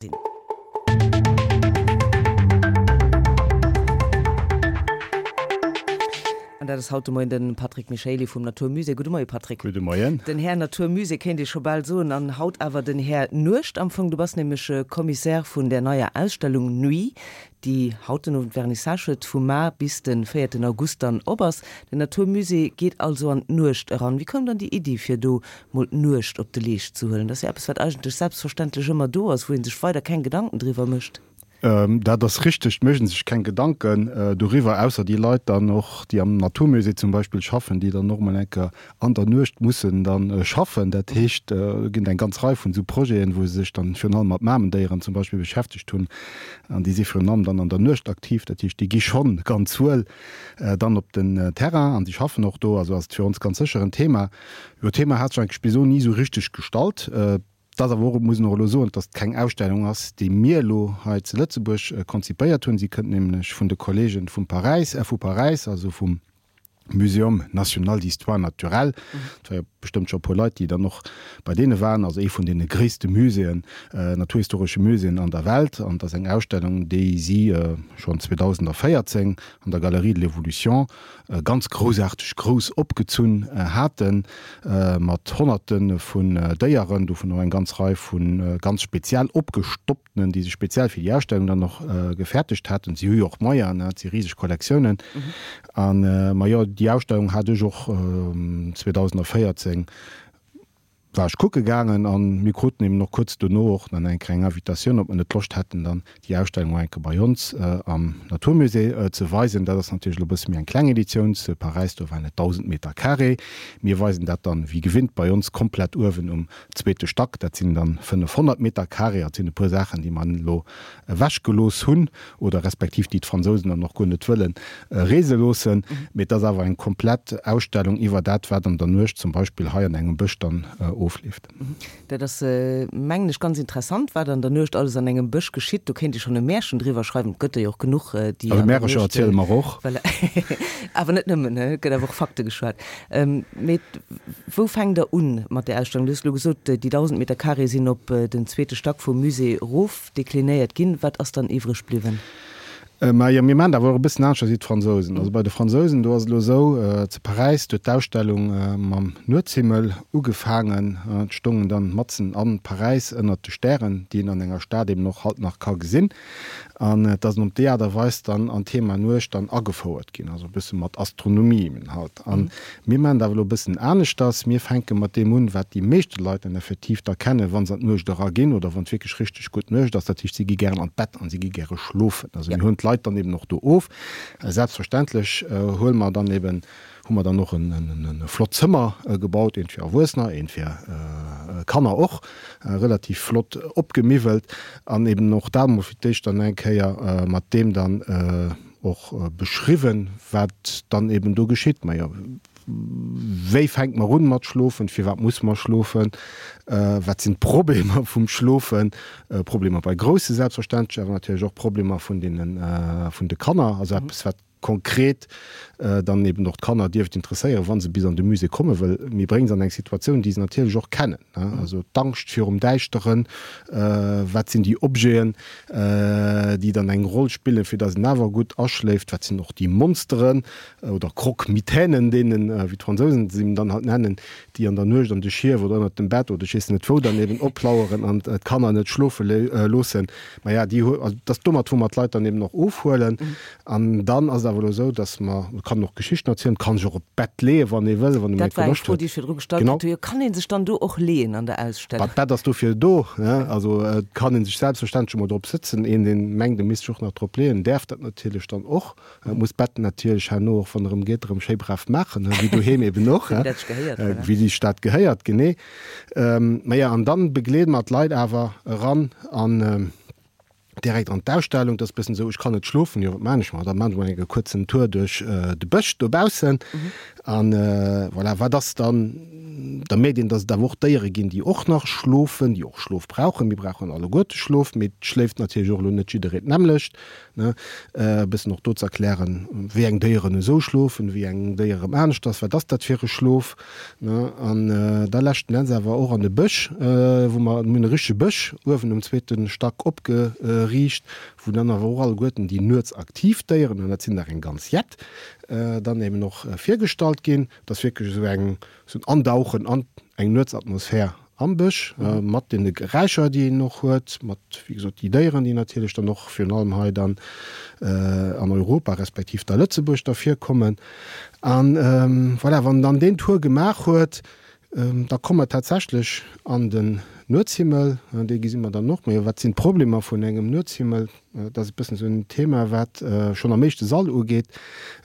Sinn. An dat ass haut de Moien de Patrick Michaely vum Natur Musée. Gudde Moie Patrick. Gudde Moien. Den Här Natur Musée kéint ee scho bal soen an haut awer den Här Nuecht am Fong. Du bass nämlech Commissaire vun där neier Ausstellung Nuit, déi haut den Owend Vernissage huet, vu mar bis de véierten August dann op ass. Den Natur Musée geet also an d'Nuecht eran. Wéi koum dann déi Iddi fir do mol d'Nuecht op de Leescht ze huelen. Dat ass jo eppes, wat eigentlech selbstverständlech ëmmer do ass, wou ee sech weider keng Gedanken driwwer mécht. Dat ass richteg, et mécht ee sech keng Gedanken doriwwer, ausser déi Leit dann och, déi am Naturmusée zum Beispill schaffen, déi dann och mol eng Kéier an der Nuecht mussen dann schaffen. Dat heescht, do ginn et eng ganz Rei vun esou Projeten, wou se sech dann virun allem mat Mamendéieren zum Beispill beschäftegt hunn, an déi si virun allem dann an der Nuecht aktiv. Dat heescht, déi gi schonn ganz wuel dann op den Terrain an si schaffen och do. Also ass et fir ons ganz sécher en Thema. Jo, d'Thema hat sech eigentlech bis elo ni esou richteg gestallt. Et ass awer och, muss een och elo soen, dass et keng Ausstellung ass, déi mir elo hei zu Lëtzebuerg konzipéiert hunn. Si kënnt nämlech vun de Kollegen vum Paräis, vu Paräis, also vum Muséum national d'histoire naturelle. Et war jo bestëmmt scho e puer Leit, déi dann och bei deene waren. Also ee vun deene gréisste Muséeën, naturhistoresche Muséeën an der Welt. An et ass eng Ausstellung, déi si schonn 2014 an der Galerie de l'Évolution ganz groussaarteg grouss opgezunn haten, mat Honnerte vun Déieren, dovun och eng ganz Rei vu ganz speziell opgestopptenen, déi se speziell fir déi Ausstellung dann och gefäertegt haten. Si hu jo och Moyenen, et si riseg Kollektiounen. An, majo, déi Ausstellung hat ech och 2014 war ech kucke gaangen an mir kruten eben och kuerz dono och dann eng kleng Invitatioun, ob mer net Loscht hätten dann déi Ausstellung och eng Kéier bei ons am Natur Musée ze weisen. Dat ass natierlech elo e bësse méi eng kleng Editioun, zu Paräis do waren et 1.000 Meter carré. Mir weisen dat dann wéi gewinnt bei ons komplett uewen um zweete Stack, dat sinn dann 500 Meter carré. Dat sinn e puer Saachen déi mer elo ewech gelooss hunn oder respektiv déi d'Fransousen dann och guer net wëlle reese loossen. Mee et ass awer eng komplett Ausstellung iwwer dat, wat an der Nuecht zum Beispill hei an engem Bësch dann ofleeft. Dat ass, mengen ech, ganz interessant, wat an der Nuecht alles an engem Bësch geschitt. Do kéint ee schonn e Märchen driwwer schreiwen. Et gëtt der jo och genuch, déi an der Nuecht. Also Märercher erziele mer och. Voilà. Awer net nëmmen, et gëtt awer och Fakte geschwat. Mee wou fänkt Der un mat där Ausstellung? Du hues elo gesot, déi 1.000 Meter carré sinn op den zweete Stack vum Musée erof. Deklinéiert ginn. Wat ass dann iwwreg bliwwen? Majo, mir maachen dat awer och e bëssen aneschters wéi d'Fransousen. Also bei de Fransousen, do ass et elo esou, zu Paräis, do huet d'Ausstellung mam Nuetshimmel ugefaangen. Et stoungen dann matzen a Paräis ënnert de Stären, déi een an enger Stad eben och halt nach ka gesinn. An et ass op déi Aart a Weis dann an d'Thema Nuecht dann agefouert ginn, also e bësse mat Astronomie eben halt. An Mir maachen dat awer elo e bëssen aneschters. Mir fänke mat deem un, wat déi meeschte Leit dann effektiv da kennen, wa se an d'Nuecht eraginn oder wann et wierklech richteg gutt Nuecht ass. Dat heescht, si gi gären an d'Bett an si gi gäre schlofen. Also mir huelen d'Leit dann eben och do of. Selbstverständlech huele mer dann eben, hu mer dann och e flott Zëmmer gebaut, eent fir Erwuessener, eent fir Kanner och, relativ flott opgemiwwelt an eben och dat emol fir d'éischt dann eng Kéier mat deem dann, och beschriwwen, wat dann eben do geschitt. Majo, wéi fänkt mer un mat schlofen, firwat muss mer schlofen, wat sinn d'Problemer vum Schlofen, Problemer bei Grousse selbstverständlech, awer natierlech och Problemer vun deene vun de Kanner, also eppes wat konkret dann eben och d'Kanner dierft interesséieren, wa se bis an de Musée kommen, wëll mir brénge se an eng Situatioun, déi se natierlech och kennen, also d'Angscht virum Däischteren, wat sinn déi Objeten, déi dann eng Roll spillen, fir dass en awer gutt aschléift. Wat sinn och déi Monsteren oder Croque-mitainen, deenen, wéi d'Fransousen se eben dann halt nennen, déi an der Nuecht an de Schief oder ënnert dem Bett oder ech weess net wou dann eben oplaueren an d'Kanner net schlofe loossen. Maja, déi hu, also dat ass domat, wou mer d'Leit dann eben och ofhuelen. An dann ass et awer elo esou, dass mer, et kann een och Geschichten erzielen, et kann sech och op d'Bett leeën, wann ee wëll, wann ee méi Dat war eng Loscht Fro, huet. déi ech virdru gestallt Genau. kritt hu. Jo, kann ee sech dann do och leeën an der Ausstellung? Bah, d'Bett ass dofir do, ne? Also et kann ee sech selbstverständlech emol drop sëtzen. Een, deen mengt, e misst sech och nach drop leeën, däerf dat natierlech dann och. Et muss d'Bett natierlech herno och, wann e rëm geet, erëm schéi brav maachen, ne? Wéi doheem eben och, Wéi dat sech gehéiert, voilà. Wéi sech dat gehéiert, genee. Maja, an dann begleede mer d'Leit awer eran an direkt an d'Ausstellung. Dat ass e bëssen esou, ech kann net schlofen, jo wat maan ech mar? Da maan ech mol eng kuerzen Tour duerch de Bësch dobaussen. An voilà, wat ass dann? Da mierkt een, dass et awer och Déiere ginn, déi och nach schlofen, déi och Schlof brauchen. Mir brauchen alleguerte Schlof, mee et schléift natierlech och elo net jidderee d'nämmlecht. Ne? E bëssen och do ze erklären, wéi eng Déieren esou schlofen, wéi eng Déier erëm aneschters, wat ass dat fir e Schlof. Ne? An da leschten Enns awer och an de Bësch, wou mer, mir hunn e richtege Bësch uewen um zweete Stack opgeriicht, wou dann awer och alleguerten déi nuetsaktiv Déieren, an dat sinn der eng ganz jett, dann eben och virgestallt ginn. Et ass wierklech esou eng, esou en Andauchen an eng Nuetsatmosphär am Bësch, mat deene Geräischer, déi een och huet, mat, wéi gesot, déi Déieren, déi natierlech dann och virun allem hei dann an Europa respektiv da Lëtzebuerg da virkommen. An voilà, wann dann deen Tour gemaach huet, da komme mer tatsächlech an den Nuetshimmel. Dee gesi mer dann och. Mä wat sinn d'Problemer vun engem Nuetshimmel? Dat ass e bëssen esou en Thema, wat schonn am éischte Sall ugeet.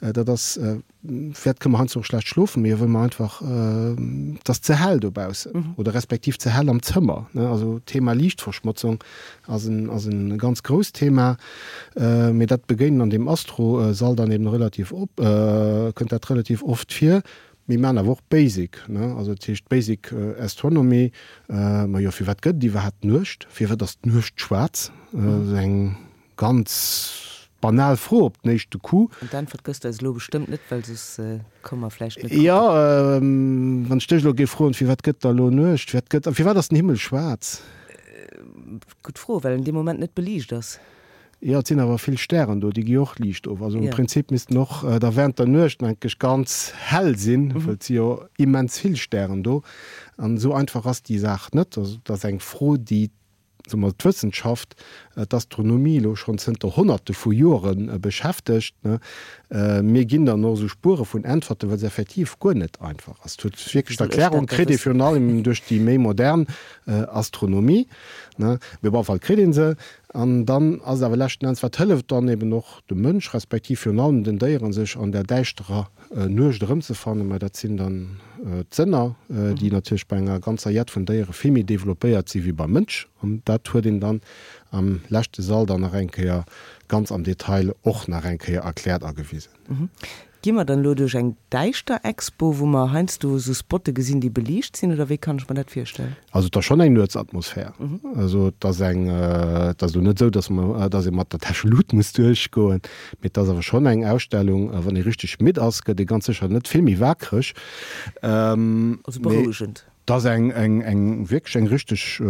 Dat ass, Wäert kënne mer heiansdo och schlecht schlofen, mee wëll mer einfach, et ass ze hell dobaussen oder respektiv ze hell am Zëmmer, ne. Also d'Thema Liichtverschmotzung ass en, ass e ganz grousst Thema, mee dat begéinen an deem Astro-Sall dann eben relativ op, kënnt dat relativ oft vir. Mir maachen awer och Basic, ne, also dat heescht Basic Astronomy. Majo, firwat gëtt et iwwerhaapt Nuecht? Firwat ass d'Nuecht schwaarz? Dat ass eng Ganz banal Fro op den éischte Coup. An d'Äntwert gëss de eis elo bestëmmt net, well soss komme mer vläicht net kucken. Jo, wann ech dech elo géif froen, firwat gëtt da elo Nuecht, firwat gëtt, firwat ass den Himmel schwaarz? Gutt Fro, well en dee Moment net beliicht ass. Jo, et sinn awer vill Stären do, déi gi och Liicht of. Also am Prinzip missten och da während der Nuecht enkesch ganz hell sinn, well et si jo immens vill Stären do. An esou einfach ass déi Saach net. Also et ass eng Fro, déi soe mer, d'Wëssenschaft, d'Astronomie elo schonn zënter Honnerte vu Jore beschäftegt. Mir ginn dann och esou Spuere vun Äntwerten, well se effektiv guer net einfach ass. Et huet wierklech d'Erklärung kritt ee virun allem duerch déi méi modern Astronomie, mee op alle Fall kritt ee se. An dann ass et awer leschten Enns, wat hëlleft dann eben och dem Mënsch, respektiv virun allem den Déieren, sech an där däischterer Nuecht erëmzefannen, mä dat sinn dann d'Sënner, déi natierlech bei enger ganzer Jett vun Déiere vill méi developpéiert si wéi beim Mënsch. An dat huet een dann am leschte Sall dann nach eng Kéier ganz am Detail och nach eng Kéier erkläert a gewisen. Gi mer dann elo duerch eng däischter Expo, wou mer heiansdo esou Spotte gesinn, déi beliicht sinn, oder wéi kann ech mer dat virstellen? Also et ass schonn eng Nuetsatmosphär. Also et ass eng, et ass elo net esou, datt mer, datt ee mat der Täschelut muss duerchgoen, mee et ass awer schonn eng Ausstellung, wann ee richteg midd ass, gëtt ee ganz sécher net vill méi waakreg. Also berouegend. Et ass eng, eng, eng wierklech eng richteg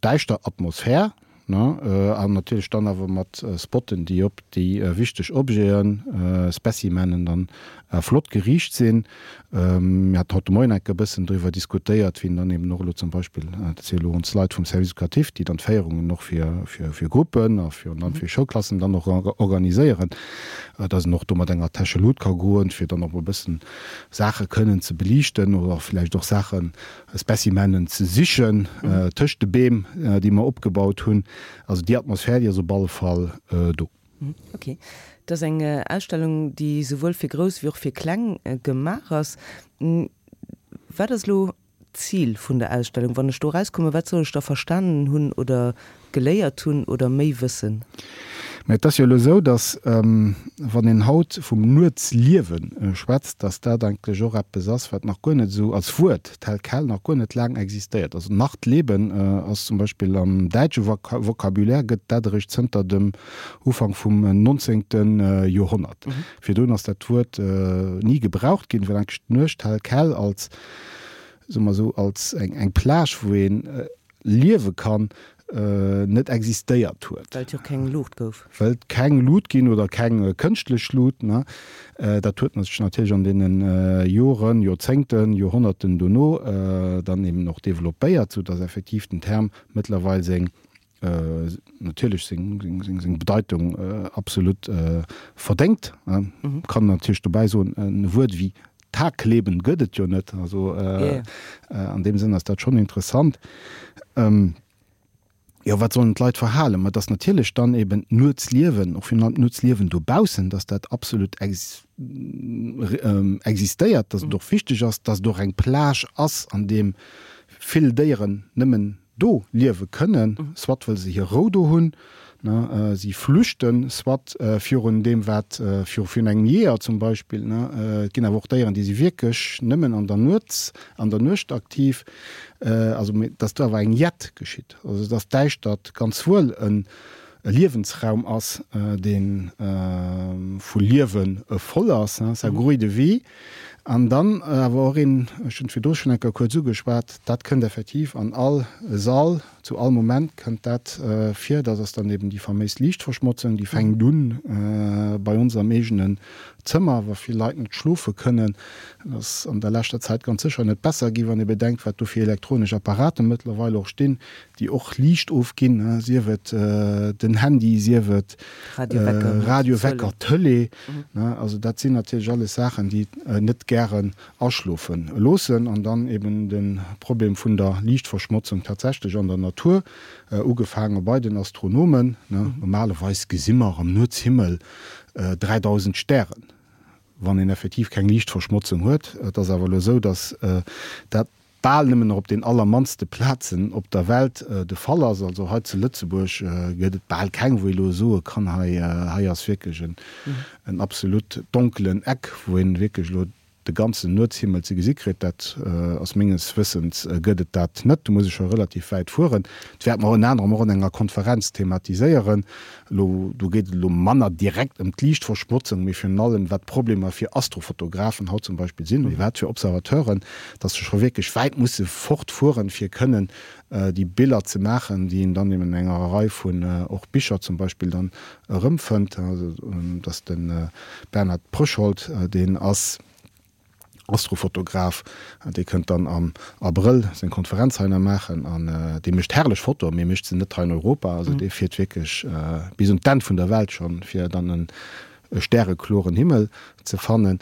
däischter Atmosphär. Ne, an natierlech dann awer mat Spotten, déi op déi wichteg Objeten, Specimenen dann flott geriicht sinn. Mir haten haut de Moien enke bëssen driwwer diskutéiert, wien dann eben och elo zum Beispill, dat si elo ons Leit vum Service éducatif, déi dann d'Féierungen och fir, fir, fir Gruppen a virun allem fir Schoulklassen dann och organiséieren, dass een och do mat enger Täsche Lut ka goen, fir dann och e bëssen Saache kënnen ze beliichten oder vläicht och Saachen, Specimenen ze sichen tëscht de Beem, déi mer opgebaut hunn. Also déi Atmosphär, déi ass op alle Fall do. Ok. Et ass eng Ausstellung, déi souwuel fir Grouss wéi och fir Kleng gemaach ass. Wat ass elo d'Zil vun der Ausstellung? Wann ech do erauskommen, wat soll ech da verstanen hunn oder geléiert hunn oder méi wëssen? Mä et ass jo elo esou, datt, wann een haut vum Nuetsliewe schwätzt, datt dat eigentlech och eppes ass, wat nach guer net esou als Wuert tel quel nach guer net laang existéiert. Also Nachtleben ass zum Beispill am däitsche Vocabulaire gëtt dat eréischt zënter dem Ufank vum nonzéngte Joerhonnert. Virdrun ass dat Wuert ni gebraucht ginn, well eigentlech d'Nuecht tel quel als, soe mer esou, als eng Plage, wou een liewe kann, net existéiert huet. Well et jo keng Luucht gouf. Well et keng Lut ginn oder keng kënschtlech Lut. Ne? Dat huet sech natierlech an deene Joren, Joerzéngten, Joerhonnerten dono dann eben och developpéiert, sou datt effektiv den Term mëttlerweil seng, natierlech seng, seng, seng Bedeitung absolut verdéngt. Kann natierlech dobäi soen, e Wuert wéi Tagleben gëtt et jo net. Also an deem Sënn ass dat schonn interessant. Jo, wat sollen d'Leit verhalen? Ma dass natierlech dann eben d'Nuetsliewen, och virun allem d'Nuetsliewen dobaussen, dass dat absolut existéiert, dass et och wichteg ass, dass et och eng Plage ass, an deem vill Déieren nëmmen. Do liewe kënnen, soit wëll se hir Rou do hunn, ne, si flüchten, soit virun deem wat, viru virun engem Jeeër zum Beispill, ne. Et ginn awer och Déieren, déi si wierklech nëmmen an der Nuets, an der Nuecht aktiv. Also, mee dass do awer eng Jett geschitt, also dass d'Däischtert ganz wuel en e Liewensraum ass, dee vu Liewe voll ass, ça grouille de vie. An dann awer och een, ech hunn et virdru schonn eng Kéier kuerz ugeschwat, dat kënnt effektiv an all Sall, zu all Moment kënnt dat vir, dat ass dann eben déi faméis Liichtverschmotzung, déi fänkt un bei ons am eegenen Zëmmer, wa vill Leit net schlofe kënnen. Dat ass an der leschter Zäit ganz sécher net besser gi, wann ee bedenkt, wat do fir elektronesch Apparate mëttlerweil och stinn, déi och Liicht ofginn, sief et den Handy, sief et Radiowecker, Tëlee. Also dat sinn natierlech alles Saachen, déi net gären aschlofe loossen. An dann eben de Problem vun der Liichtverschmotzung tatsächlech an der Natur, ugefaange bei den Astronomen. Normalerweis gesi mer am Nuetshimmel 3.000 Stären, wann een effektiv keng Liichtverschmotzung huet. Et ass awer elo esou, datt dat bal nëmmen nach op den allermannste Plazen op der Welt de Fall ass. Also hei zu Lëtzebuerg gëtt et bal keng, wou ee elo soe kann, hei, hei ass wierklech en, en absolut donkelen Eck, wou een wierklech elo de ganzen Nuetshimmel ze gesi kritt. Dat ass menges Wëssens gëtt et dat net. Do muss ee scho relativ wäit fueren. Dat wäerte mer ënner anerem och an enger Konferenz thematiséieren. Elo, do geet et elo manner direkt ëm d'Liichtverschmotzung, mee virun allem wat d'Problemer fir Astrofotografen haut zum Beispill sinn, mee wat fir Observateuren, dass se scho wierklech wäit musse fortfueren, fir kënnen déi Biller ze maachen, déi een dann eben an enger Rei vun och Bicher zum Beispill dann erëmfënnt. Also, dass de Bernhard Pröschold, deen ass Astrofotograf, dee kënnt dann am Abrëll seng Konferenz hei nach maachen an dee mécht herrlech Fotoen, mee mécht se net hei in Europa. Also dee fiert wierklech bis un d'Enn vun der Welt schonn, fir dann e stärekloren Himmel ze fannen.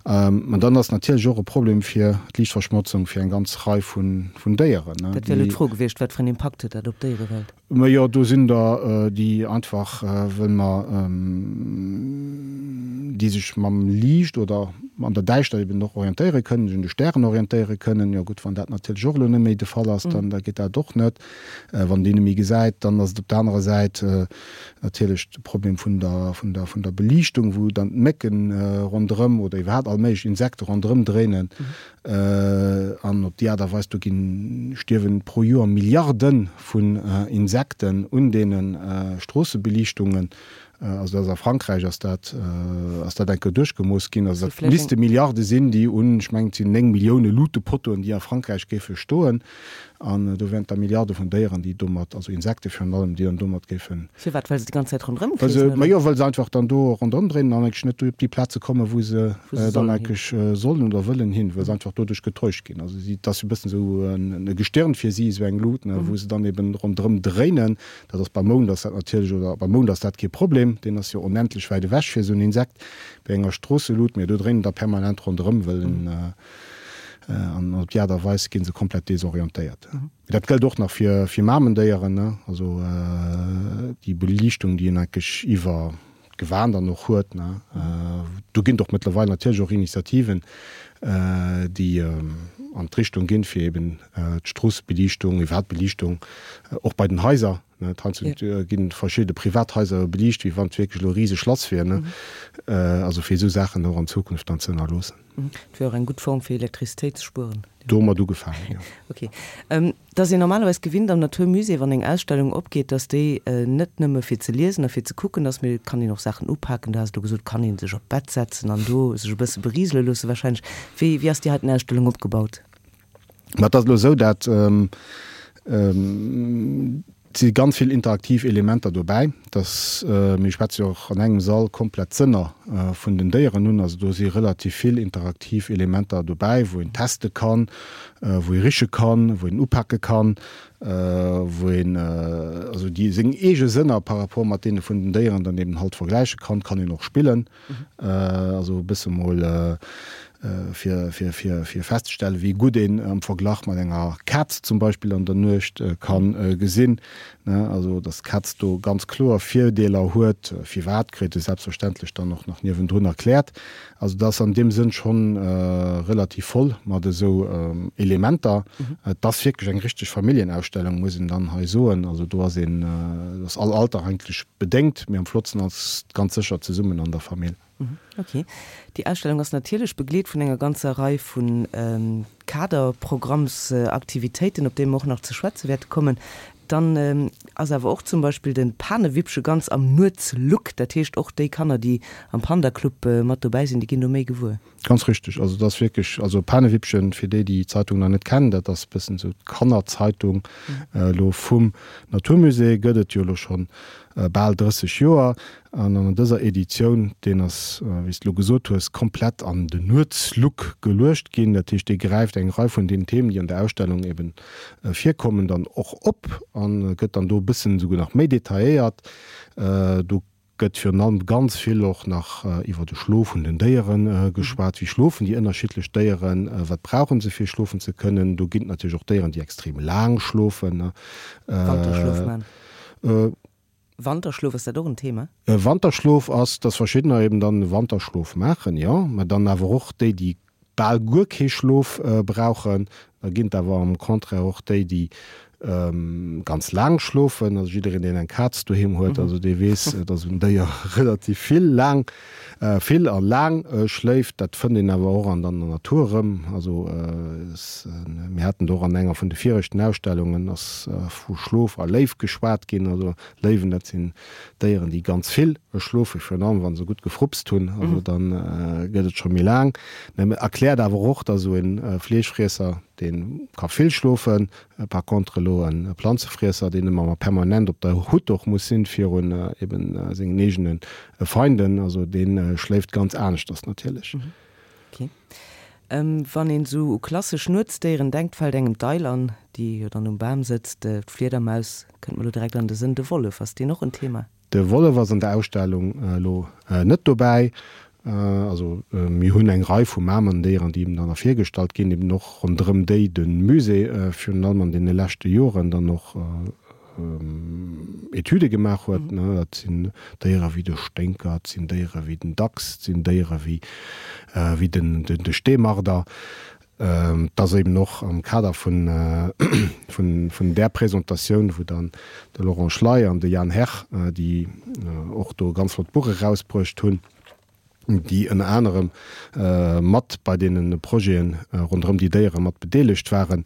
An dann ass natierlech och e Problem fir d'Liichtverschmotzung fir eng ganz Rei vun Déieren. Dat wär elo d'Fro gewiescht, wat fir en Impakt huet dat op d'Déierewelt? Majo, do sinn der, déi einfach, wëll mer, déi sech mam Liicht oder an der Däischtert eben och orientéiere kënnen, sech un de Stären orientéiere kënnen. Jo gutt, wann dat natierlech och elo net méi de Fall ass, dann da geet dat och net. Wann deen net méi gesäit, dann ass et op der anerer Säit natierlech de Problem vun der, vun der, vun der Beliichtung, wou dann d'Mécken ronderëm oder iwwerhaapt all méiglech Insekte ronderëm dréinen. An op déi Aart a Weis, do ginn, stierwen pro Joer Milliarde vun Insekten un deene Stroossebeliichtungen. Also dat ass a Frankräich ass dat, ass dat eng Kéier duerchgemooss ginn. Also dat misste Milliarde sinn, déi un, ech mengen et sinn 9 Millioune Luutepottoen, déi a Frankräich géife stoen. An do wären et da Milliarde vun Déieren, déi domat, also Insekte virun allem, déi dann domat géifen. Firwat? Well se déi ganz Zäit ronderëm kreesen, oder? Majo, well se einfach dann do ronderëm dréinen an eigentlech net op déi Plaze kommen, wou se dann eigentlech sollen oder wëllen hin, well se einfach doduerch getäuscht ginn. Also si, et ass e bëssen esou e Gestirn fir si, esou eng Lut, ne, wou se dann eben ronderëm dréinen. Dat ass beim Mound ass dat natierlech, oder beim Mound ass dat kee Problem, deen ass jo onendlech wäit ewech fir esou en Insekt. Bei enger Stroosselut, mee do dréinen der permanent ronderëm, wëll en, An op déi Aart a Weis gi se komplett desorientéiert. Mee dat gëllt och nach fir fir Mamendéieren, ne? Also déi Beliichtung, déi een eigentlech iwwer d'Gewan dann och huet, ne? Do ginn et och mëttlerweil natierlech och Initiativen, déi an d'Richtung ginn, fir eben d'Stroossebeliichtung, iwwerhaapt d'Beliichtung och bei den Haiser, ne? Heiansdo ginn verschidde Privathaiser beliicht, wéi wann et wierklech elo e riseg Schlass wier, ne? Also fir esou Saachen och an Zukunft dann ze ënnerloossen. Et wier och eng gutt Form fir Elektrizitéit ze spueren. Domat ugefaangen, jo. Ok. Et ass een normalerweis gewinnt am Natur Musée, wann eng Ausstellung opgeet, dass déi net nëmme fir ze liesen a fir ze kucken ass, mee et kann een och Saachen upaken. Du has elo gesot, et kann ee sech op d'Bett setzen an do sech e bësse berisele loosse wahrscheinlech. Wéi, wéi ass déi heiten Ausstellung opgebaut? Ma et ass elo esou, dat Et si ganz vill interaktiv Elementer dobäi, dass, mir schwätze jo och an engem Sall komplett d'Sënner vun den Déieren un, also do si relativ vill interaktiv Elementer dobäi, wou een teste kann, wou ee riche kann, wou een upake kann, wou een also déi seng eege Sënner par rapport mat deene vun den Déieren dann eben halt vergläiche kann. Kann een och spillen, also e bësse mol. fir, fir, fir, fir festzestellen, wéi gutt een am Verglach mat enger Kaz zum Beispill an der Nuecht ka gesinn. Also datt d'Kaz do ganz kloer Virdeeler huet. Firwat, kritt e selbstverständlech dann och nach niewendrun erkläert. Also dat ass an deem Sënn schonn relativ voll mat esou Elementer. Et ass wierklech eng richteg Familljenausstellung, muss een dann hei soen. Also do ass een, do ass all Alter eigentlech bedéngt, mee am flottsten ass et ganz sécher zesummen an der Famill. Ok. Déi Ausstellung ass natierlech begleet vun enger ganzer Rei vu Kaderprogrammsaktivitéiten, op déi mer och nach ze schwätze wäerte kommen. Dann ass awer och zum Beispill de Panewippche ganz am Nuetslook. Dat heescht, och déi Kanner, déi am Panda-Club mat dobäi sinn, déi ginn do méi gewuer. Ganz richteg. Also et ass wierklech, also Panewippchen, fir déi, déi d'Zeitung nach net kennen, dat ass e bëssen esou d'Kannerzeitung elo vum Naturmusée, gëtt et jo elo schonn bal 30 Joer. An an dëser Editioun, deen ass, wéi s de elo gesot hues, komplett an den Nuetslook geluecht ginn. Dat heescht, dee gräift eng Rei vun den Themen, déi an der Ausstellung eben virkommen, dann och op a gëtt dann do e bëssen esouguer nach méi detailléiert. Do gëtt virun allem ganz vill och nach iwwer de Schlof vun den Déiere geschwat. Wéi schlofen déi ënnerschiddlech Déieren? Wat brauche se fir schlofen ze kënnen? Do ginn et natierlech och Déieren, déi extrem laang schlofen. Wanterschlof man. Wanterschlof, ass dat och en Thema? Wanterschlof ass, dass verschiddener eben dann e Wanterschlof maachen, jo, mä dann awer och déi, déi bal guer kee Schlof brauchen. Da ginn et awer am Contraire och déi, déi ganz laang schlofen. Also jiddereen, deen eng Kaz doheem huet, also dee weess, dass en Déier relativ vill laang, vill a laang schléift. Dat fënnt een awer och an der Natur erëm. Also mir haten do och an enger vun de viregten Ausstellungen ass vu Schlof a Léiw geschwat ginn. Also Léiwen, dat sinn Déieren, déi ganz vill schlofen, virun allem wa se gutt gefrupst hunn. Also da gëtt et scho méi laang. Mä erkläert awer och, datt esou e Fleeschfriesser, dee ka vill schlofen, par contre elo e Planzefriesser, deen ëmmer permanent op der Hutt och muss sinn virun eben sengen eegene Feinden, also dee schléift ganz aneschters natierlech. Ok. Wann een esou u klassesch Nuetsdéieren denkt, fält engem d'Eil an, déi jo dann um Bam sëtzt, d'Fliedermaus kënnt mer elo direkt an de Sënn, de Wollef, ass deen och en Thema? De Wollef ass an der Ausstellung elo net dobäi. Also mir hunn eng Rei vu Mamendéieren, déi eben dann ervirgestallt ginn, eben och ronderëm déi de Musée virun allem an deene leschte Joren dann och Etüde gemaach huet. Dat sinn Déiere wéi de Sténker, et sinn Déiere wéi den Dachs, et sinn Déiere wéi de Steemarder. Et ass eben och am Kader vun där Presentatioun, wou dann de Laurent Schley an de Jan Herr, déi och do e ganz flott Buch erausbruecht hunn, déi ënner anerem mat bei deene Projete ronderëm déi Déiere mat bedeelegt waren,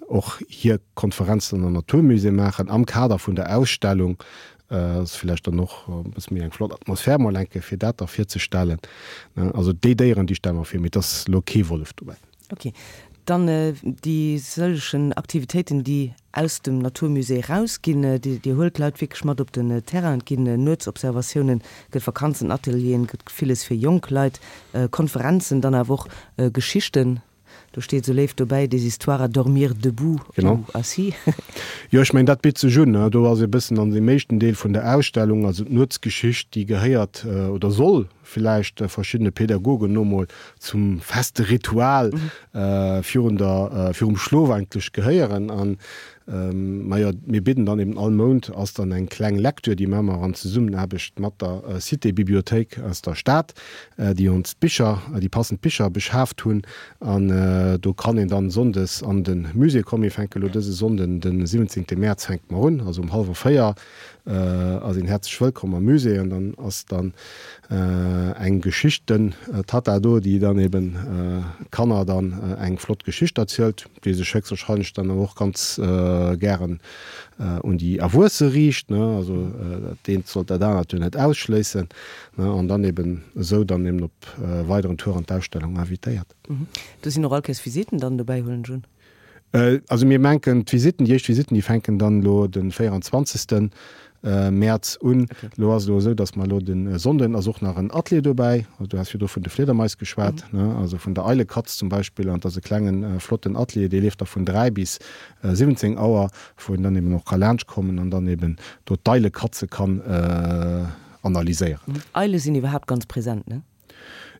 och hir Konferenz dann am Naturmusée maachen am Kader vun der Ausstellung. Ass villäicht dann och e bësse méi eng flott Atmosphär mol eng Kéier fir dat da virzestellen. Also déi Déieren, déi stelle mer vir, mee et ass elo kee Wollef dobäi. Ok. Dann déi sëllegen Aktivitéiten, déi aus dem Naturmusée erausginn. Dir huelt d'Leit wierklech mat op den Terrain. Et ginn Nuetsobservatiounen, gëtt Vakanzenatelieren, gëtt villes fir jonk Leit, Konferenzen, dann awer och Geschichten. Do steet esou léif dobäi, des histoires à dormir debout ou assis. Jo, ech mengen, dat bitt sech un. Do ass e bëssen an deem éischten Deel vun der Ausstellung, also d'Nuetsgeschicht, déi gehéiert oder soll villäicht verschiddene Pädagogen no mol zum feste Ritual virun der, virum Schlof eigentlech gehéieren. An Majo, mir bidden dann eben all Mount ass dann eng kleng Lecture, déi maache mer an Zesummenaarbecht mat der Cité-Bibliothéik aus der Stad, déi ons d'Bicher, déi passend Bicher beschaaft hunn. An do kann een dann sonndes an de Musée kommen. Mir fänke lo dëse Sonnden, de 17 Mäerz fänke mer un, also um hallwer 4 ass een häerzlech wëllkomm am Musée. An dann ass dann eng Geschichten-Tatta do, déi dann eben Kanner dann eng flott Geschicht erzielt. déi sech héchstwahrscheinlech dann awer och ganz gären un déi Erwuesse riicht, ne, also dat eent sollt dat anert jo net ausschléissen, ne, an dann eben esou dann eben op weideren Tour an d'Ausstellung invitéiert. Do sinn och all Kéiers Visitten dann dobäi, huelen ech un? Also mir menken d'Visitten, déi éischt Visitten, déi fänken dann elo de 24. Mäerz un. Elo ass et elo esou, datt mer elo de Sonnden ass och nach en Atelier dobäi. Also du has virdru vun de Fliedermais geschwat, ne, also vun der Eilekatz zum Beispill. An et ass e klengen, flotten Atelier, dee leeft da vun 3 bis 17 Auer, wou een dann eben och ka laanschtkommen an dann eben do d'Eilekatze kann analyséieren. Eile sinn iwwerhaapt ganz present, ne?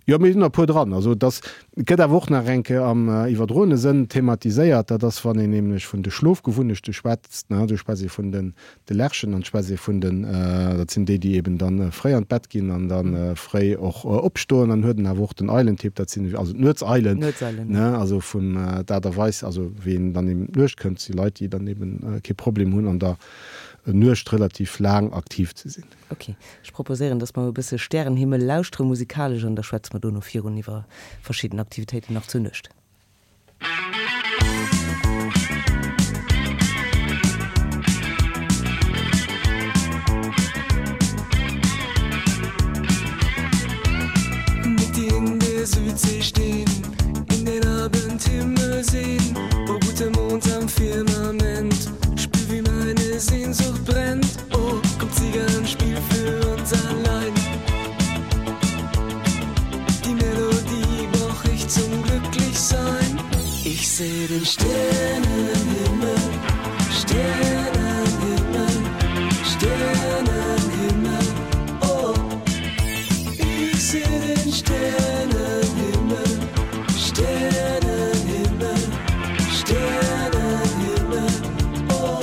Jo, mir sinn der e puer dran. Also dass, et gëtt awer och nach eng Kéier am iwwerdroene Sënn thematiséiert, dat ass, wann een nämlech vun de Schlofgewunnechte schwätzt, ne, do schwätzt ee vun den de Lerchen an schwätzt ee vun den, dat sinn déi, déi eben dann fréi an d'Bett ginn an da fréi och opstoen. Dann huet en awer och den Eilentyp, dat sinn also d'Nuetseilen, ne, also vun d'Aart a Weis, also wéi een dann eben d'Nuecht kënnt, si Leit, déi dann eben kee Problem hunn an der Nuecht relativ laang aktiv ze sinn. Ok, ech proposéieren, dass mer e bësse Stärenhimmel lauschtere musikalesch an da schwätze mer dono virun iwwer verschidden Aktivitéiten nach zur Nuecht. Mit dir in der Südsee stehen, in den Abendhimmel sehen, oh guter Mond am Firmament, spür wie meine Sehnsucht brennt. Oh, komm Zigan, spiel für uns allein. Die Melodie brauch ich zum Glücklichsein. Ich seh den Sternenhimmel, Sternenhimmel, Sternenhimmel. Oh, ich seh den Sternenhimmel, Sternenhimmel, Sternenhimmel. Oh.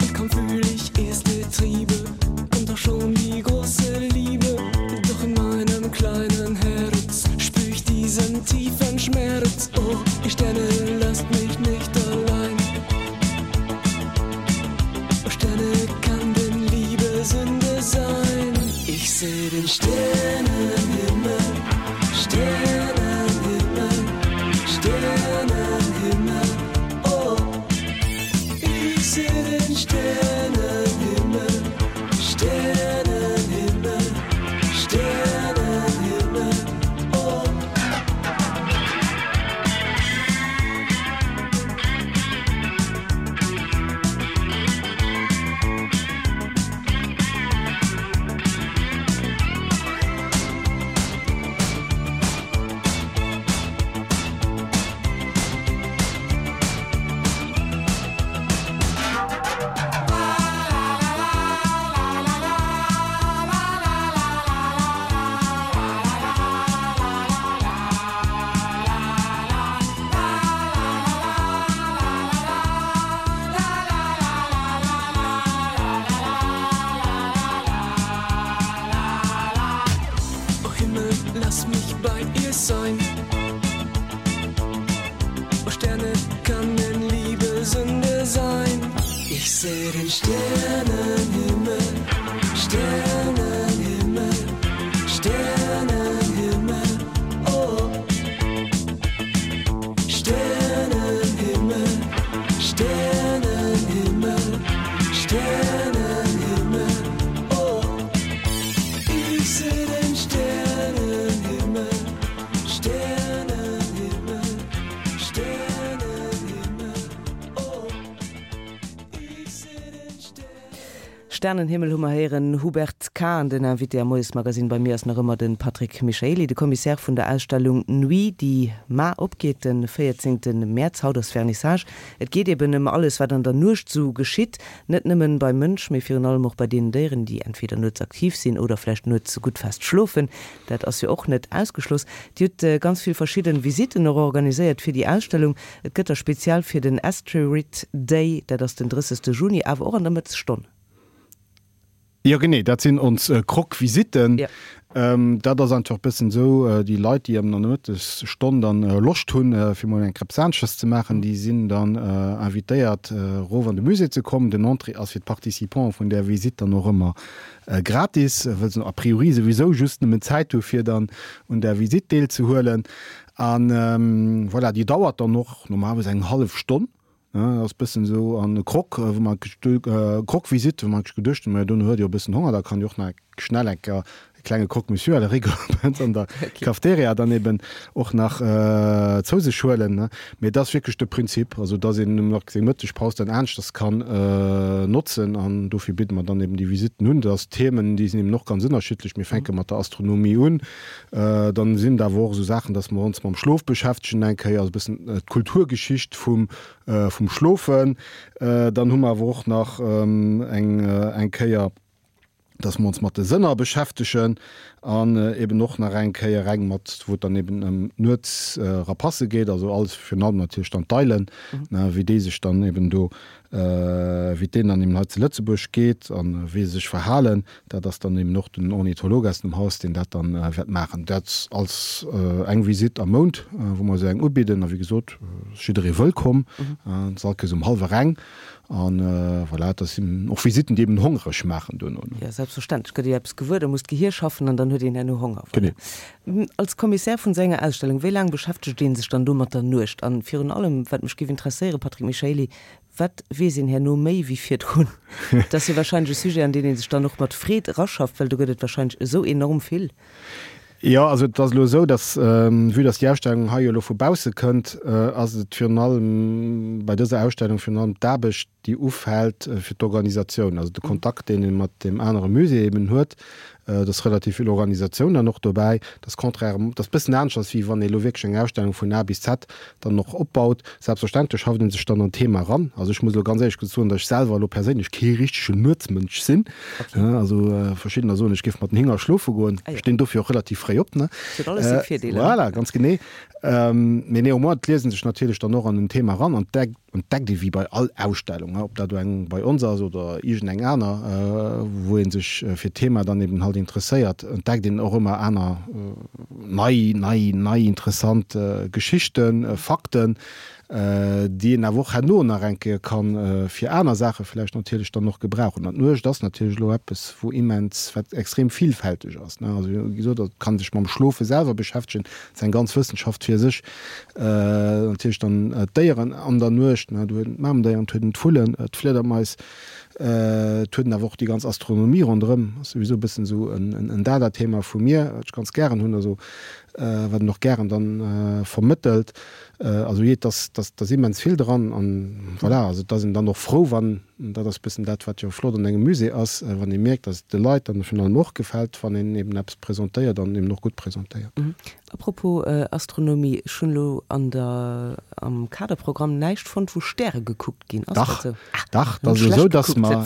Und kaum fühl ich erste Triebe, kommt auch schon die große Liebe. Doch in meinem kleinen Herz spür ich diesen tiefen Schmerz. Oh, ihr Sterne, lasst mich nicht allein. Oh Sterne, kann denn Liebe Sünde sein? Ich seh den Sternenhimmel, Sternenhimmel, Sternenhimmel, oh. Ich seh den Sternenhimmel, Sternenhimmel, Sternenhimmel, oh. Oh Himmel, lass mich bei ihr sein. Oh Sterne, kann denn Liebe Sünde sein? Ich seh den Sternenhimmel, Sternenhimmel, Sternenhimmel, oh. Sternenhimmel, Sternenhimmel, Sternenhimmel, oh. Ich seh den Sternenhimmel, Sternenhimmel, Sternenhimmel, oh. Ich seh den Sternenhimmel. Sternenhimmel hu mer héieren, Hubert Kahn, den Invité am Moiesmagazine. Bei mir ass nach ëmmer de Patrick Michaely, de Commissaire vun der Ausstellung Nuit, déi mar opgeet, de 14 Mäerz. Haut ass Vernissage. Et geet eben ëm alles, wat an der Nuecht sou geschitt, net nëmmen beim Mënsch, mee virun allem och bei deenen Déieren, déi entweder nuets aktiv sinn oder vläicht nuets gutt fest schlofen. Dat ass jo och net ausgeschloss. Dir hutt ganz vill verschidden Visitten och organiséiert fir déi Ausstellung. Et gëtt der speziell fir den Asteroid Day, dat ass den 30. Juni, awer och an der Mëttesstonn. Jo genee, dat sinn ons Croque-Visitten. Dat ass einfach e bëssen esou, déi Leit, déi an der Mëttesstonn dann Loscht hunn, fir mol eng Crêpe-Saansches ze maachen, déi sinn dann invitéiert, erof an de Musée ze kommen. Den Entrée ass fir d'Participants vun där Visitt dann och ëmmer gratis, wëll se a priori souwisou just nëmmen Zäit hu fir dann un där Visitt deelzehuelen. A voilà, déi dauert dann och normalerweis eng hallef Stonn. Dat ass bëssen esou an Croque, wou mer Croque-Visite, wou mer geduecht hunn, majo dono huet jo e bëssen Honger, da kann jo och nach schnell eng Kéier. klenge Croque-Monsieur à la rigueur an der Cafeteria dann eben och nach zou sech huelen. Mee et ass wierklech de Prinzip, also dass een nach seng Mëttegpaus dann aneschters kann notzen an dofir bidde mer dann eben déi Visitten un. Dat ass Themen, déi sinn eben och ganz ënnerschiddlech. Mir fänke mat der Astronomie un, dann sinn et awer och esou Saachen, dass mer ons mam Schlof beschäftegen eng Kéier, also e bëssen d'Kulturgeschicht vum vum Schlofen. Dann hu mer awer och nach eng eng Kéier, dass mer ons mat de Sënner beschäftegen an eben och nach eng Kéier eng mat, wou et dann eben ëm d'Nuetsrapasse geet, also alles virun allem natierlech dann d'Eilen, wéi déi sech dann eben do, wéi et deenen dann eben hei zu Lëtzebuerg geet a wéi se sech verhalen. Dat ass dann eben och den Ornitholog aus dem Haus, deen dat dann wäert maachen. Dat als eng Visitt am Mount, wou mer esou eng ubidden. A wéi gesot, ass jidderee wëllkomm. Et ass all Kéiers um hallwer eng. An voilà, dat sinn och Visitten, déi eben hongreg maachen duerno. Jo, selbstverständlech gëtt ee eppes gewuer, da muss d'Gehier schaffen an dann huet een herno Honger. Voilà. Genee. Als Commissaire vun esou enger Ausstellung, wéi laang beschäftegt ee sech dann do mat der Nuecht? An virun allem, wat mech géif interesséieren, Patrick Michaely, wat weess een herno méi wéi virdrun? Dat ass jo wahrscheinlech e Sujet, an deen ee sech dann och mat Freed eraschafft, well do gëtt et wahrscheinlech esou enorm vill. Jo, also et ass elo esou, datt, vue datt déi Ausstellung hei jo elo vu bausse kënnt, ass et virun allem bei dëser Ausstellung virun allem d'Aarbecht, déi ufält fir d'Organisatioun, also de Kontakt, deen ee mat deem anere Musée eben huet. Et ass relativ vill Organisatioun dann och dobäi. Dat ass contrairement, dat ass e bëssen aneschters, wéi wann ee elo wierklech eng Ausstellung vun A bis Z dann och opbaut. Selbstverständlech schafft ee sech dann an d'Thema eran. Also ech muss elo ganz éierlech soen, datt ech selwer elo perséinlech kee richtegen Nuetsmënsch sinn. Also verschiddener soen, ech géif mat den Hinger schlofe goen. Ech stinn dofir och relativ fréi op. Huet alles seng Virdeeler. Voilà, ganz genee. Mee néanmoins, et liest ee sech natierlech dann och an den Thema eran an entdeckt ee wéi bei all Ausstellung, ob dat elo eng bei ons ass oder iergendeng aner, wou ee sech fir d'Thema dann eben halt interesséiert, entdeckt een och ëmmer aner nei, nei, nei interessant Geschichten, Fakten, déi een awer och herno nach eng Kéier ka fir aner Saache vläicht natierlech dann och gebrauchen. An d'Nuecht ass natierlech elo eppes, wou immens, wat extrem villfälteg ass. Also wéi gesot, et kann sech mam Schlofe selwer beschäftegen, dat ass eng ganz Wëssenschaft fir sech. Natierlech dann d'Déieren an der Nuecht, do huet een d'Mamendéieren, et huet een d'Vullen, d'Fliedermais, et huet een awer och déi ganz Astronomie ronderëm, ass souwisou e bëssen esou en Dada-Thema vu mir, wat ech ganz gären hunn, also wat een och gären dann vermëttelt. Also jee, et ass, et ass immens vill dran an voilà, also et ass een dann och frou, wann, dat ass e bëssen dat, wat jo flott an engem Musée ass, wann ee mierkt, datt et de Leit dann virun allem och gefält, wann een eben eppes presentéiert an eben och gutt presentéiert. A propos Astronomie, ech hunn elo an der, am Kaderprogramm näischt fonnt, wou Stäre gekuckt ginn. Ass dat esou? Dach, dach, dat ass elo esou, datt mer,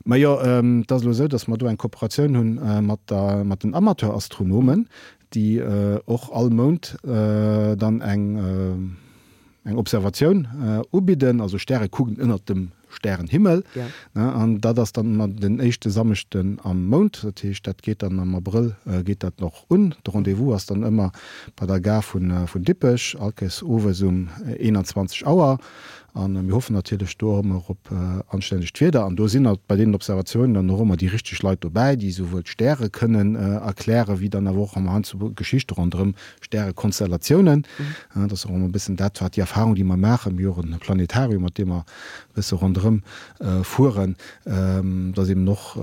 majo, et ass elo esou, datt mer do eng Kooperatioun hunn mat der, mat den Amateurastronomen, déi och all Mount dann eng, eng Observatioun ubidden, also Stäre kucken ënnert dem Stärenhimmel. An dat ass dann ëmmer den éischte Samschden am Mount. Dat heescht, dat geet dann am Abrëll geet dat och un. De Rendez-vous ass dann ëmmer bei der Gare vun Dippech, allkéiers owes um 21 Auer. A mir hoffen natierlech do och ëmmer op anstännegt Wieder. An do sinn bei deenen Observatiounen dann och ëmmer déi richteg Leit dobäi, déi souwuel d'Stäre kënnen erklären, wéi dann awer och ëmmer heiansdo Geschichte ronderëm Stärekonstellatiounen. Dat ass och ëmmer e bëssen dat, wat déi Erfahrung, déi mer maachen, mir hu och e Planetarium, mat deem mer e bësse ronderëm fueren, dass eben och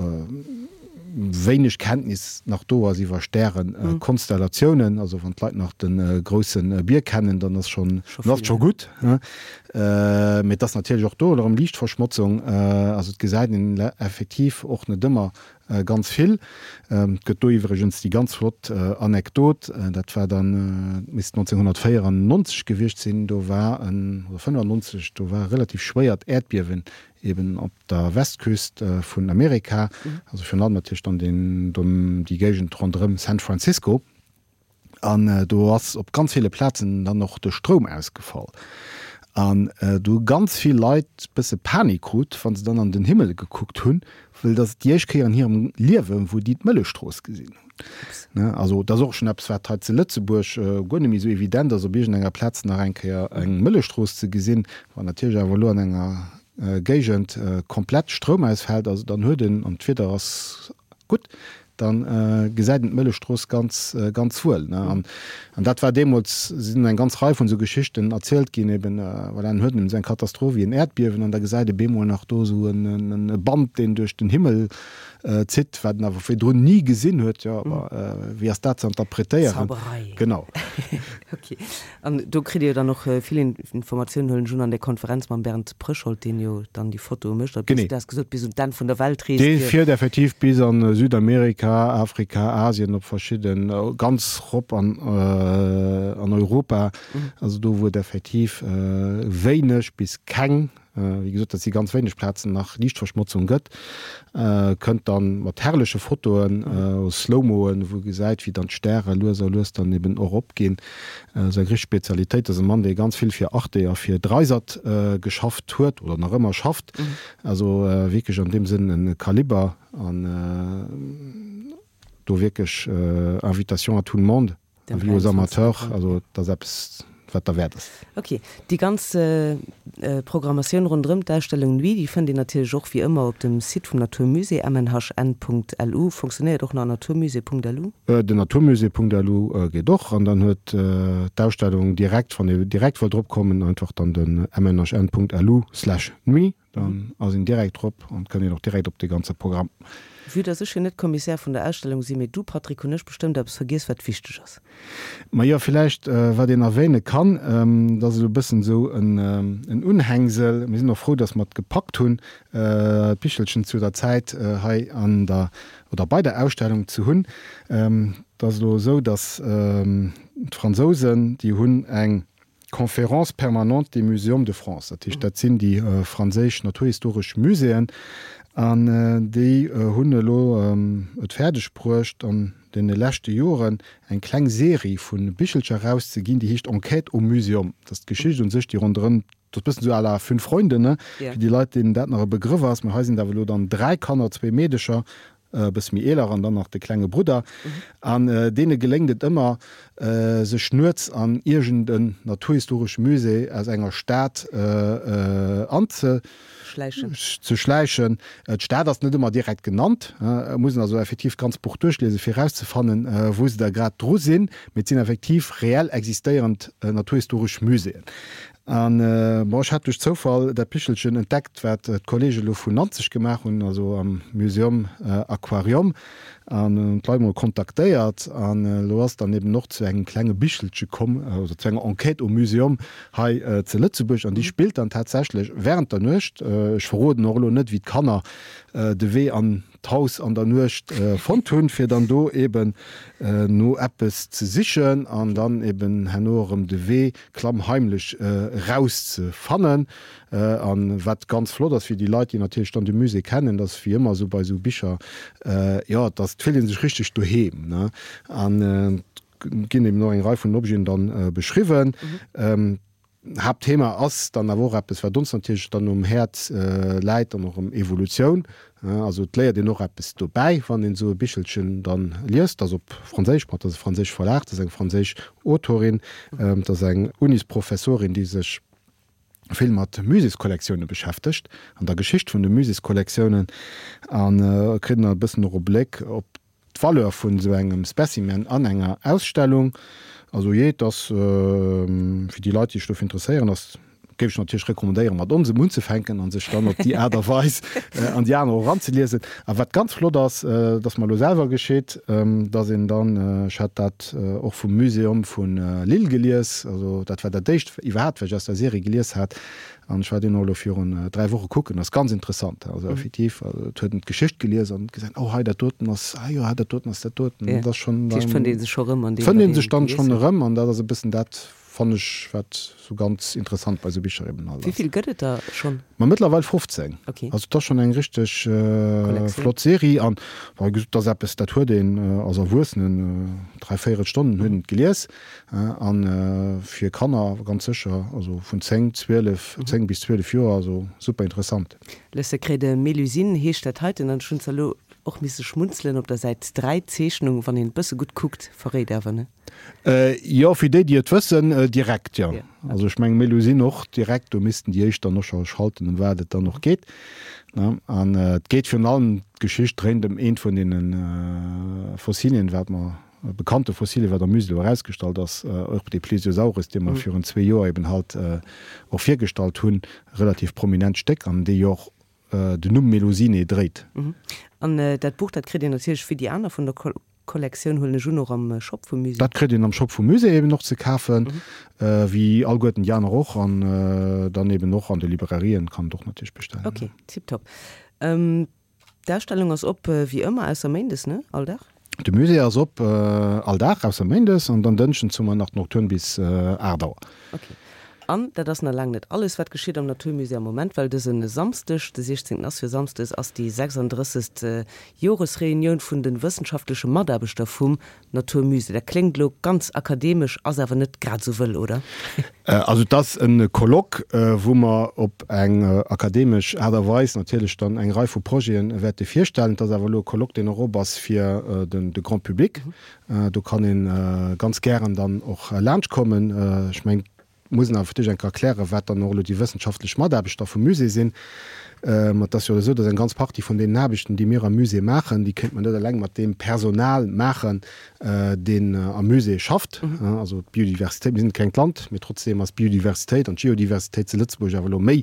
wéineg Kenntnis nach do ass iwwer Stärekonstellatiounen. Also wann d'Leit nach de grousse Bier kennen, dann ass schonn, dann ass et scho gutt. Mee et ass natierlech och do erëm Liichtverschmotzung. Also et gesäit een effektiv och net ëmmer Ganz vill. Et gëtt do iwwregens déi ganz flott Anekdot, dat war dann, et misst 1994 gewiescht sinn, do war en, oder 95, do war e relativ schwéiert Äerdbiewen eben op der Westküst vun Amerika, also virun allem natierlech dann deen, déi Géigend ronderëm San Francisco. An do ass op ganz ville Plazen dann och de Stroum ausgefall. An do hu ganz vill Leit bësse Panik krut, wa se dann an den Himmel gekuckt hunn, well dat ass déi éischt Kéier an hirem Liewen, wou déi d'Mëllechstrooss gesinn hunn. Also dat ass och schonn eppes, wat hei zu Lëtzebuerg guer net méi esou evident ass, op iergendenger Plaz nach eng Kéier eng Mëllechstrooss ze gesinn. Wann natierlech awer elo an enger Géigend komplett Stroum ausfält, also dann huet een, an d'Wieder ass gutt, Da gesäit een d'Mëllechstrooss ganz, ganz wuel. An dat war deemools, sinn eng ganz Rei vun esou Geschichten erzielt ginn, eben, voilà, en huet esou eng Katastroph wéi en Äerdbiewen an da gesäit e bemol nach do esou e Band, deen duerch den Himmel zitt, wat en awer virdrun ni gesinn huet. Jo, awer wéi ass dat ze interpretéieren? Zauberei. Genau. Ok. An do kritt Dir jo dann och vill Informatiounen, huelen ech un, an där Konferenz mam Bernd Pröschold, deen jo dann déi Fotoe mécht. A bis, du has gesot, bis un d'Enn vun der Welt reest. Dee fiert effektiv bis a Südamerika, Afrika, Asien, op verschidden, ganz rop an Europa, also do wou et effektiv wéineg bis keng Wéi gesot, dat si ganz wéineg Plazen, nach Liichtverschmotzung gëtt, kënnt dann mat herrleche Fotoen, Slow-Moen, wou e gesäit, wéi dann d'Stäre lues a lues dann eben och opginn. Seng richteg Spezialitéit ass e Mann, dee ganz vill fir Arte a fir Dreisat geschafft huet oder nach ëmmer schafft. Also wierklech an deem Sënn e Kaliber an do wierklech Invitation à tout le monde. Avis aux amateurs, also dat ass eppes, wat derwäert ass. Ok, déi ganz Programmatioun ronderëm d'Ausstellung Nuit, déi fënnt een natierlech och wéi ëmmer op dem Site vum Natur Musée, mnhn.lu. Fonctionnéiert och nach naturmusée.lu? Den naturmusée.lu geet och, an dann huet d'Ausstellung direkt, wann ee direkt wëllt drop kommen, einfach dann den mnhn.lu/nuit. Dann ass een direkt drop an kënnt een och direkt op de ganze Programm. Vue dass ech jo net Commissaire vun der Ausstellung sinn, mee du Patrick, hunn ech bestëmmt eppes vergiess wat wichteg ass. Majo, villäicht wat een erwähne kann, dat ass esou e bëssen esou en Unhängsel, mir sinn och frou, dass mer et gepackt hunn, d'Bichelchen zu der Zäit hei an der oder bei der Ausstellung ze hunn. Et ass elo esou, dass d'Fransousen, déi hunn eng Conférence permanente des Muséums de France, dat heescht, dat sinn déi franséisch naturhistoresch Muséeën, an déi hunn elo et fäerdeg bruecht, an deene leschte Joren eng kleng Serie vu Bichelcher erauszeginn, déi heescht Enquête au Muséum. Dat ass d'Geschicht un sech, déi ronderëm, dat ass e bëssen esou à la Fünf Freunde, ne, fir déi Leit, deenen dat nach e Begrëff ass. Mä hei sinn et awer elo dann 3 Kanner, zwee Meedecher e bësse méi eeler an dann nach de klenge Brudder, an deene geléngt et ëmmer, sech nuets an iergend en naturhistoresche Musée aus enger Stad anzeschläichen. D'Stad ass net ëmmer direkt genannt, et muss een also effektiv d'ganz Buch duerchliesen, fir erauszefannen, wou se da grad dru sinn, mee et sinn effektiv reell existéierend naturhistoresch Muséeën. An, bon, ech hat duerch Zoufall dat Bichelchen entdeckt, wat d'Kollege elo vun Nanzeg gemaach hunn, also am Museum Aquarium, an hunn d'Leit mol kontaktéiert. An elo ass dann eben och zu engem klenge Bichelche komm, oder zu enger Enquête au Museum hei zu Lëtzebuerg. An déi spillt dann tatsächlech während der Nuecht. Ech verroden och elo net, wéi d'Kanner de Wee an d'Haus an der Nuecht fonnt hunn, fir dann do eben no eppes ze sichen an dann eben herno erëm de Wee klammheimlech eraus ze fannen. An wat ganz flott ass fir déi Leit, déi natierlech dann de Musée kennen, dat ass wéi ëmmer esou bei esou Bicher, jo, dass et fillt ee sech richteg doheem, ne? An et ginn eben och eng Rei vun Objeten dann beschriwwen. Haaptthema ass dann awer och eppes, wat ons natierlech dann um Häerz läit, dann och ëm Evolutioun. Also et léiert een och eppes dobäi, wann een esou e Bichelchen dann liest. Dat ass op Franséisch, ma et ass e franséische Verlag, dat ass eng franséisch Autorin, dat ass eng Unisprofessorin, déi sech vill mat Muséeskollektioune beschäftegt an der Geschicht vun de Muséeskollektiounen a kritt een e bëssen och e Bléck op D'Valeur vun esou engem Specimen an enger Ausstellung, also jee, et ass fir déi Leit, déi sech dofir interesséieren, ass, géif ech natierlech recommandéieren, mat onsem unzefänken a sech dann op déi Aart a Weis an déi aner och eranzeliesen. A wat ganz flott ass, dat ass mer elo selwer geschitt, dass een dann, ech hat dat och vum Museum vu Lille gelies, also dat war dat éischt iwwerhaapt, wat ech aus der Serie gelies hat, An ech war deen och elo virun 3 Woche kucken, ass ganz interessant. Also effektiv, also et huet en d'Geschicht gelies an gesinn, oh hei dat doten ass, ah jo, dat doten ass dat doten. Dat ass schonn dann. Dat heescht, fënnt ee sech scho rëm an deem, wat een sech dann schonn erëm an dat ass e bëssen dat, fannen ech, wat sou ganz interessant bei sou Bicher eben halt ass. Wéi vill gëtt et der schonn? Ma mëttlerweil 15. Okay. Also et ass schonn eng richteg flott Serie an, wei gesot, et ass eppes, dat huet een als Erwuessenen dräivéierel Stonnen huet een et gelies. An fir Kanner ganz sécher, also vun 10, 12, 10 bis 12 Joer, also super interessant. Le secret de Mélusine heescht dat heiten an ech hunn zwar elo Och misse schmunzelen op der Säit 3, d'Zeechnung, wann een bësse gutt kuckt, verréit awer, ne? Jo, fir déi, déi et wëssen, direkt, jo. Also ech mengen, Melusine och direkt, do missten déi éischt dann och scho schalten, ëm wat et dann och geet, ne? An et geet virun allem, d'Geschicht dréint ëm eent vun deene Fossilien, wat mer, bekannte Fossilien, wat am Musée elo erausgestallt ass, och dee Plesiosaurus, dee mer virun zwee Joer eben halt och virgestallt hunn, relativ prominent Stéck, an dee jo och den Numm Melusine dréit. An dat Buch, dat kritt een natierlech wéi déi aner vun der Kollektioun, huelen ech un, och am Shop vum Musée? Dat kritt een am Shop vum Musée eben och ze kafen, wéi alleguerten déi aner och. An dann eben och an de Librairien kann et och natierlech bestellen. Ok, tiptop. D'Ausstellung ass op wéi ëmmer, ausser méindes, ne? All Dag? De Musée ass op all Dag, ausser méindes, an dann dënschdens hu mer nach d'Nocturne bis 8 Auer. Ok. An dat ass nach laang net alles, wat geschitt am Natur Musée am Moment, well dëse Samsdeg, de 16. Ass jo Samsdes, ass déi 36. Joresreunioun vun de wëssenschaftleche Mataarbechter vum Natur Musée. Dat kléngt elo ganz akademesch, ass awer net grad esou wëll, oder? Also et ass e Colloque, wou mer op eng akademesch Aart a Weis natierlech dann eng Rei vu Projete wäerte virstellen. Et ass awer elo e Colloque, deen och op ass fir de Grand public. Do kann ee ganz gären dann och laanschtkommen. Ech mengen, et muss een awer fir d'éischt eng Kéier erklären, wat dann och elo déi wëssenschaftlech Mataarbechter vum Musée sinn. Ma et ass jo esou, datt eng ganz Partie vun deenen Aarbechten, déi mir am Musée maachen, déi kéinte mer net eleng mat deem Personal maachen, deen am Musée schafft. Also d'Biodiversitéit, mir sinn e klengt Land, mee trotzdeem ass d'Biodiversitéit an d'Geodiversitéit zu Lëtzebuerg awer elo méi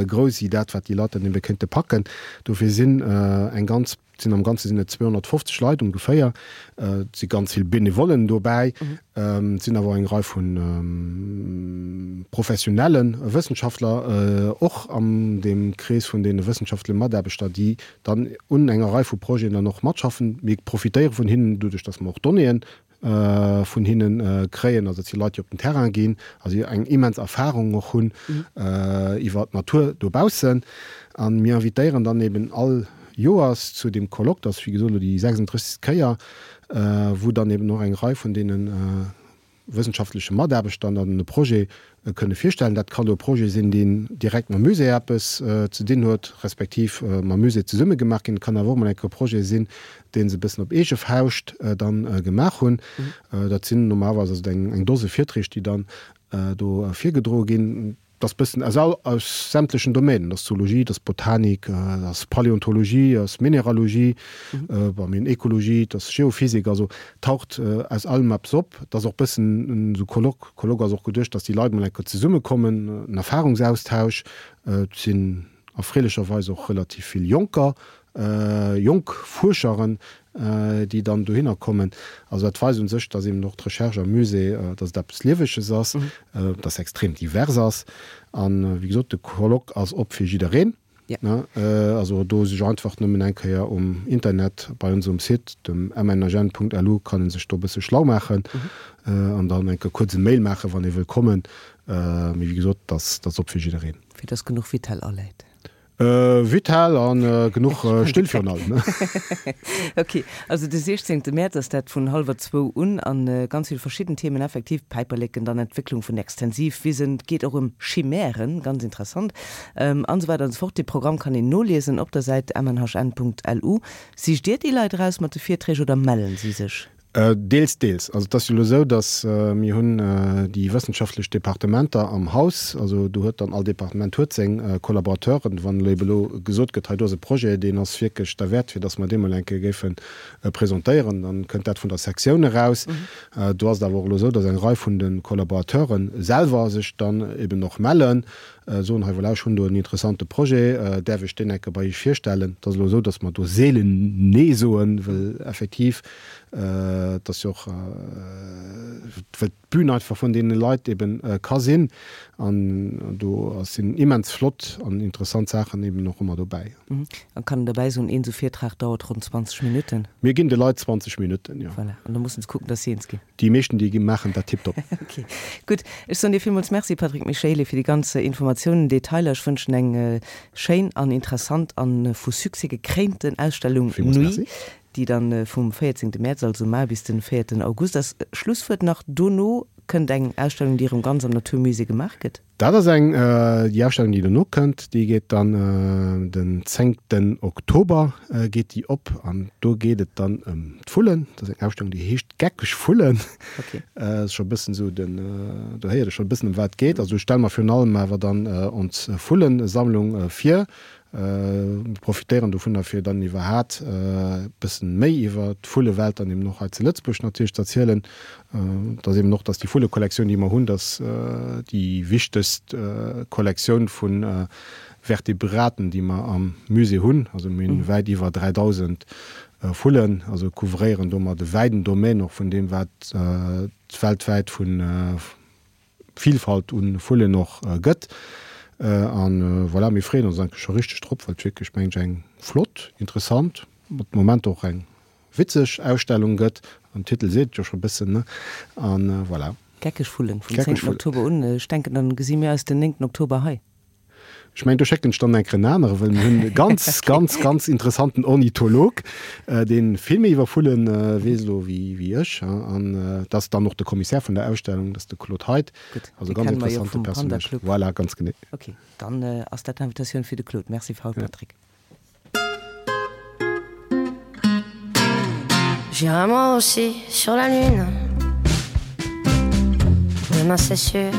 grouss wéi dat, wat déi Leit dann ebe kéinte packen. Dofir sinn eng ganz Et sinn am Ganze sinn et 250 Leit ongeféier. Et si ganz vill Benevollen dobäi. Et sinn awer och eng Rei vu professionelle Wëssenschaftler och an deem Krees vun deene wëssenschaftleche Mataarbechter, déi dann un enger Rei vu Projeten dann och matschaffen. Mir profitéiere vun hinnen, doduerch datt mer och Donnéeën vun hinne kréien, also dat si Leit, déi op den Terrain ginn, also déi eng immens Erfahrung och hunn iwwer d'Natur dobaussen. A mir invitéieren dann eben all Joers zu deem Colloque, dat ass wéi gesot elo déi 36. Kéier, wou dann eben och eng Rei vun deene wëssenschaftleche Mataarbechter dann e Projet kënne virstellen. Dat kann elo e Projet sinn, deen direkt mam Musée eppes ze dinn huet, respektiv mam Musée zesumme gemaach ginn. Et kann awer och emol eng Kéier e Projet sinn, dee se e bëssen op eege Fauscht dann gemaach hunn. Dat sinn normalerweis also eng Dose Virträg, déi dann do virgedroe ginn. Dat ass bëssen aus all, aus sämtlechen Domänen. Dat ass Zoologie, dat ass Botanik, dat ass Paläontologie, dat ass Mineralogie, bon, mir hunn Ekologie, dat ass Geophysik, also taucht aus allem eppes op. Et ass och bëssen esou Colloque, Colloque ass och geduecht, dass déi Leit mol eng Kéier zesummekommen, en Erfahrungsaustausch. Et sinn erfreelecherweis och relativ vill Jonker, jonk Fuerscheren, déi dann dohinner kommen. Also dat weist un sech, dass eben och d'Recherche am Musée, dass et eppes Lieweges ass, dass se extrem divers ass. An, wéi gesot, de Colloque ass op fir jiddereen. Also do sech einfach nëmmen eng Kéier um Internet bei ons um Site, dem mnhn.lu, kann ee sech do e bësse schlau maachen an dann eng Kéier kuerz e Mail maachen, wann ee wëll kommen. Mee wéi gesot, dat ass op fir jiddereen. Fir dass genuch Vitell aläit. Vital an genuch Still virun allem. Ok, also de 16 Mäerz ass dat vun hallwer zwou un an ganz vill verschidden Themen effektiv, Päiperleken, dann Entwécklung vun Extensivwisen, et geet och ëm Chimären, ganz interessant, an esou weider an esou fort. Dee Programm kann een noliesen op der Säit mnhn.lu. Sicht Dir déi Leit eraus mat de Virträg oder mellen si sech? Deels, deels. Also et ass jo elo esou, datt mir hunn déi wëssenschaftlech Departementer am Haus, also do huet dann all Departement huet seng Collaborateuren. Wann elo ebe elo gesot gëtt, hei do ass e Projet, deen ass wierklech derwäert, fir datt mer dee mol eng Kéier géife presentéieren, dann kënnt dat vun der Sektioun eraus. Do ass et awer och elo esou, datt eng Rei vun de Collaborateure selwer sech dann eben och mellen, soen, hei voilà, ech hunn do en interessante Projet, däerf ech deen eng Kéier bei Iech virstellen? Et ass elo esou, datt mer do seelen Nee soen, well effektiv, Et ass jo och, well d'Bün einfach vun deene Leit eben ka sinn. An do sinn immens flott an interessant Saachen eben och ëmmer dobäi. An kann een derbäi soen, een esou Virtrag dauert ronn 20 Minutten? Mir ginn de Leit 20 Minutten, jo. Voilà, an da mussen se kucken, dass se eens ginn. Déi meeschten, déi maachen dat tiptop. Ok, gutt. Ech soen dir villmools Merci, Patrick Michaely, fir déi ganz Informatiounen, Detailer. Ech wënschen eng schéin an interessant an vu Succès gekréinten Ausstellung Villmools Nuit. Merci. déi dann vum 14 Mäerz, also mar, bis den 4 August ass. Schlusswuert nach, dono. kënnt eng Ausstellung, déi erëm ganz am Naturmusée gemaach gëtt. Dat ass eng, déi Ausstellung, déi dono kënnt, déi geet dann den zéngten Oktober geet déi op an do geet et dann ëm d'Vullen. Dat ass eng Ausstellung, déi heescht Geckeg Vullen. Okay. Ass scho e bëssen esou den, do héiert ee scho e bëssen ëm wat et geet. Also stelle mer virun allem awer dann ons Vullensammlung vir. Mir profitéieren dovunner, fir dann iwwerhat e bëssen méi iwwer d'Vullewelt dann eben och hei zu Lëtzebuerg natierlech ze erzielen. Et ass eben och, dass déi Vullekollektioun, déi mer hunn, dass déi wichtegst Kollektioun vu Vertebraten, déi mer am Musée hunn. Also mir hunn wäit iwwer 3.000 Vullen, also couvréieren domat e wäiden Domaine och vun deem, wat et weltwäit vu Vilfalt un Vullen och gëtt. An voilà, mir freeën ons eigentlech scho richteg drop, well et wierklech, mengen ech, eng flott, interessant, mat Momenter och eng witzeg Ausstellung gëtt. An Titel seet et jo scho e bëssen, ne? An voilà. Geckeg Vullen vum 10. Oktober un. Ech denken, dann gesi mir eis den 9. Oktober hei. Ech mengen, do schécken ech dann eng Kéier en anere, well mir hunn e ganz, ganz, ganz interessanten Ornitholog, dee vill méi iwwer Vulle weess elo wéi, wéi ech. An dat ass dann och de Commissaire vun der Ausstellung, dat ass de Claude Heidt. Gutt, Also dee ganz kenne mer jo interessante vum Panda Personnage. Club. Voilà, ganz genee. Ok, dann ass dat d'Invitatioun fir de Claude. Merci, Paul Patrick. J'irai moi aussi sur la lune Demain c'est sûr,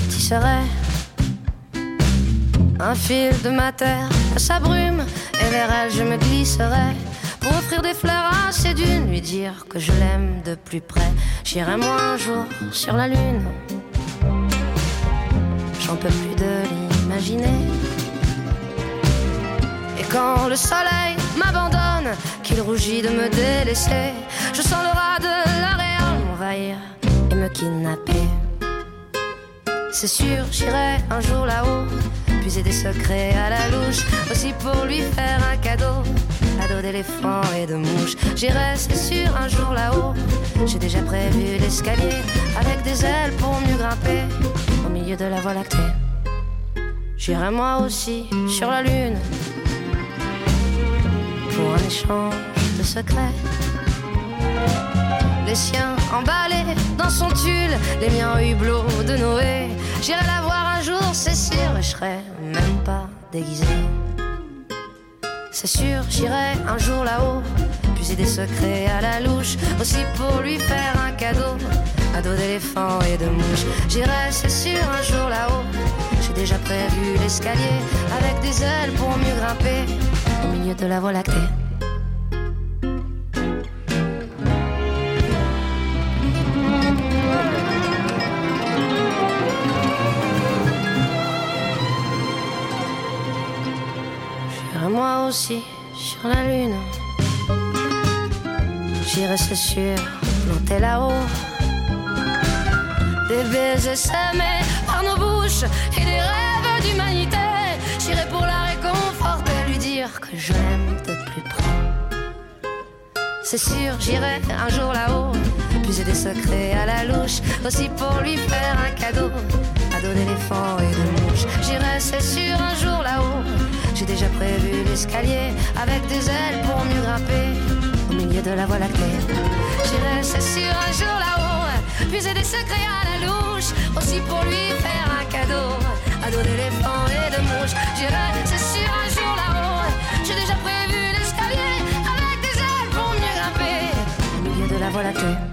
j'y serai Un fil de ma terre à sa brume Et vers elle je me glisserai Pour offrir des fleurs à ses dunes Lui dire que je l'aime de plus près J'irai moi un jour sur la lune J'en peux plus de l'imaginer Et quand le soleil m'abandonne Qu'il rougit de me délaisser Je sens le rat de l'aréole m'envahir Et me kidnapper C'est sûr, j'irai un jour là-haut Puiser des secrets à la louche Aussi pour lui faire un cadeau À dos d'éléphant et de mouche J'irai, c'est sûr, un jour là-haut J'ai déjà prévu l'escalier Avec des ailes pour mieux grimper Au milieu de la voie lactée J'irai moi aussi sur la lune Pour un échange de secrets Les siens emballés dans son tulle Les miens hublots de Noé J'irai la voir un jour, c'est sûr Et je serai même pas déguisé C'est sûr, j'irai un jour là-haut Puiser des secrets à la louche Aussi pour lui faire un cadeau Un dos d'éléphant et de mouche J'irai, c'est sûr, un jour là-haut J'ai déjà prévu l'escalier Avec des ailes pour mieux grimper Au milieu de la voie lactée J'irai moi aussi sur la lune J'irai c'est sûr planter là-haut Des baisers semés par nos bouches Et des rêves d'humanité J'irai pour la réconforter Lui dire que je l'aime de plus près C'est sûr, j'irai un jour là-haut Puiser des secrets à la louche Aussi pour lui faire un cadeau À dos d'éléphant et de mouche J'irai, c'est sûr, un jour là-haut J'ai déjà prévu l'escalier Avec des ailes pour mieux grimper Au milieu de la voie lactée J'irai, c'est sûr, un jour là-haut Puiser des secrets à la louche Aussi pour lui faire un cadeau À dos d'éléphant et de mouche J'irai, c'est sûr, un jour là-haut J'ai déjà prévu l'escalier Avec des ailes pour mieux grimper Au milieu de la voie lactée.